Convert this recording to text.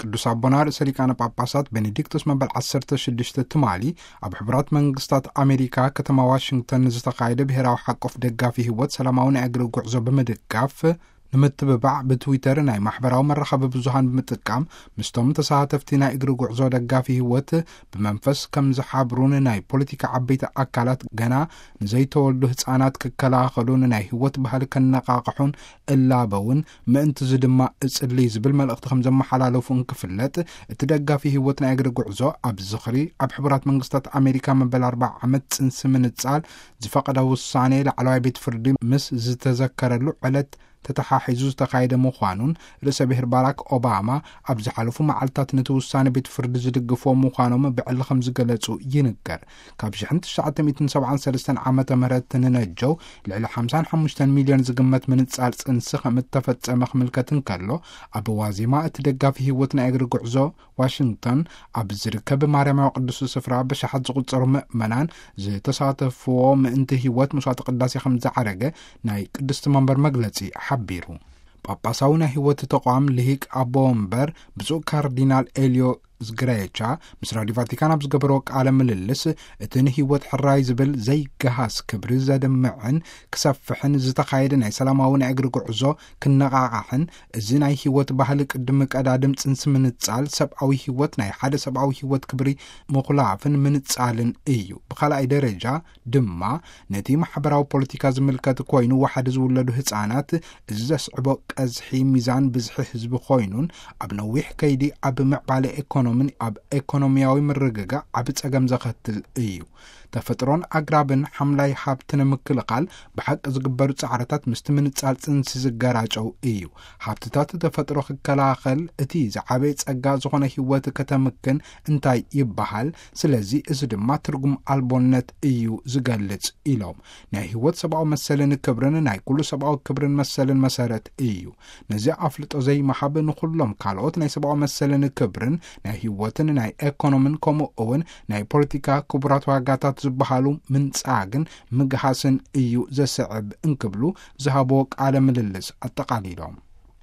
ቅዱስ ኣቦና ርእሰ ሊቃነ ጳጳሳት ቤኔዲክቶስ መበል ዓሰርተ ሽዱሽተ ትማሊ ኣብ ሕቡራት መንግስታት ኣሜሪካ ከተማ ዋሽንግተን ዝተኻየደ ብሔራዊ ሓቆፍ ደጋፊ ህይወት ሰላማዊ ናይ እግሪ ጉዕዞ ብምድጋፍ፣ ንምትብባዕ ብትዊተር ናይ ማሕበራዊ መራኸቢ ብዙሃን ብምጥቃም ምስቶም ተሳተፍቲ ናይ እግሪ ጉዕዞ ደጋፊ ህይወት ብመንፈስ ከም ዝሓብሩን ናይ ፖለቲካ ዓበይቲ ኣካላት ገና ንዘይተወልዱ ህፃናት ክከላኸሉን ናይ ህይወት ባህሊ ከነቃቕሑን እላበውን ምእንትዚ ድማ እጽሊ ዝብል መልእኽቲ ከም ዘመሓላለፉ እንክፍለጥ፣ እቲ ደጋፊ ህይወት ናይ እግሪ ጉዕዞ ኣብ ዝኽሪ ኣብ ሕቡራት መንግስታት ኣሜሪካ መበል ኣርባዓ ዓመት ጽንሲ ምንጻል ዝፈቐደ ውሳኔ ላዕለዋይ ቤት ፍርዲ ምስ ዝተዘከረሉ ዕለት ተተሓሒዙ ዝተኻየደ ምዃኑን፣ ርእሰ ብሔር ባራክ ኦባማ ኣብ ዝሓለፉ መዓልታት ነቲ ውሳኔ ቤት ፍርዲ ዝድግፍዎ ምዃኖም ብዕሊ ከም ዝገለጹ ይንገር። ካብ ሽሕን ትሽዓተ ሚእትን ሰብዓን ሰለስተን ዓመተ ምህረት ንነጀው ልዕሊ ሓምሳን ሓሙሽተን ሚልዮን ዝግመት ምንጻል ጽንሲ ከም እተፈጸመ ክምልከት እንከሎ፣ ኣብ ዋዜማ እቲ ደጋፊ ህይወት ናይ እግሪ ጉዕዞ ዋሽንግተን ኣብ ዝርከብ ማርያማዊ ቅዱስ ስፍራ ብሽሓት ዝቑጸሩ ምእመናን ዝተሳተፍዎ ምእንቲ ህይወት መስዋዕቲ ቅዳሴ ከም ዝዓረገ ናይ ቅድስቲ መንበር መግለጺ ሓቢሩ። ጳጳሳዊ ናይ ህይወት ተቋም ልሂቅ ኣቦ ወንበር ብፁዕ ካርዲናል ኤልዮ ዝግረየቻ ምስ ራዲዮ ቫቲካን ኣብ ዝገበረዎ ቃለ ምልልስ፣ እቲ ንህይወት ሕራይ ዝብል ዘይገሃስ ክብሪ ዘድምዕን ክሰፍሕን ዝተኻየደ ናይ ሰላማዊ ናይ እግሪ ጉዕዞ ክነቓቓሕን፣ እዚ ናይ ህይወት ባህሊ ቅድሚ ቀዳድም ጽንሲ ምንጻል ሰብኣዊ ህይወት ናይ ሓደ ሰብኣዊ ህይወት ክብሪ ምኹላፍን ምንጻልን እዩ። ብኻልኣይ ደረጃ ድማ ነቲ ማሕበራዊ ፖለቲካ ዝምልከት ኮይኑ፣ ዋሕዲ ዝውለዱ ህጻናት እዚ ዘስዕቦ ቀዝሒ ሚዛን ብዝሒ ህዝቢ ኮይኑን ኣብ ነዊሕ ከይዲ ኣብ ምዕባለ ኤኮኖሚን ኣብ ኤኮኖሚያዊ ምርግጋእ ዓቢ ጸገም ዘኸትል እዩ። ተፈጥሮን ኣግራብን ሓምላይ ሃብቲ ንምክልኻል ብሓቂ ዝግበሩ ጻዕርታት ምስቲ ምንጻል ጽንሲ ዝገራጨው እዩ። ሃብትታት ተፈጥሮ ክከላኸል እቲ ዝዓበየ ጸጋ ዝኾነ ህይወት ከተምክን እንታይ ይበሃል? ስለዚ እዚ ድማ ትርጉም ኣልቦነት እዩ ዝገልጽ ኢሎም። ናይ ህይወት ሰብኣዊ መሰልን ክብርን ናይ ኩሉ ሰብኣዊ ክብርን መሰልን መሰረት እዩ። ነዚ ኣፍልጦ ዘይምሃብ ንኹሎም ካልኦት ናይ ሰብኣዊ መሰልን ክብርን ናይ ህይወትን ናይ ኤኮኖምን ከምኡ እውን ናይ ፖለቲካ ክቡራት ዋጋታት ዝበሃሉ ምንጻግን ምግሃስን እዩ ዘስዕብ እንክብሉ ዝሃብዎ ቃለ ምልልስ ኣጠቓሊሎም።